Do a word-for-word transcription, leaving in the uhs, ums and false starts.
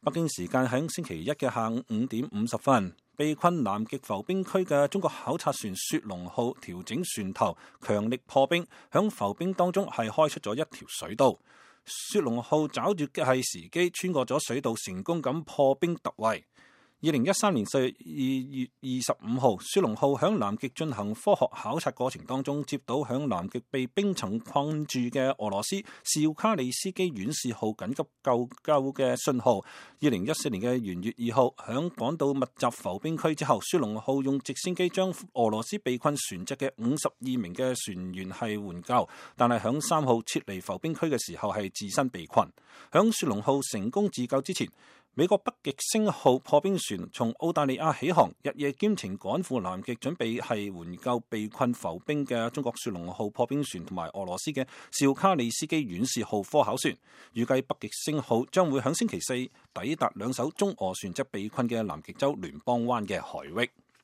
北京時間喺星期一嘅下午五點五十分，被困南極浮冰區嘅中國考察船雪龍號調整船頭，強力破冰，響浮冰當中係開出咗一條水道。雪龍號抓住嘅係時機，穿過咗水道，成功咁破冰突圍。二零一三年四月二十五號，雪龍號響南極進行科學考察過程當中，接到響南極被冰層困住嘅俄羅斯紹卡里斯基遠視號緊急救救嘅信號。二零一四年嘅元月二號，響趕到密集浮冰區之後，雪龍號用直升機將俄羅斯被困船隻嘅五十二名嘅船員係援救，但係響三號撤離浮冰區嘅時候係自身被困。響雪龍號成功自救之前，美國北極星號破冰船從澳大利亞起航，日夜兼程趕赴南極，準備係援救被困浮冰嘅中國雪龍號破冰船同埋俄羅斯嘅紹卡里斯基遠視號科考船。預計北極星號將會喺星期四抵達兩艘中俄船隻被困嘅南極洲聯邦灣嘅海域。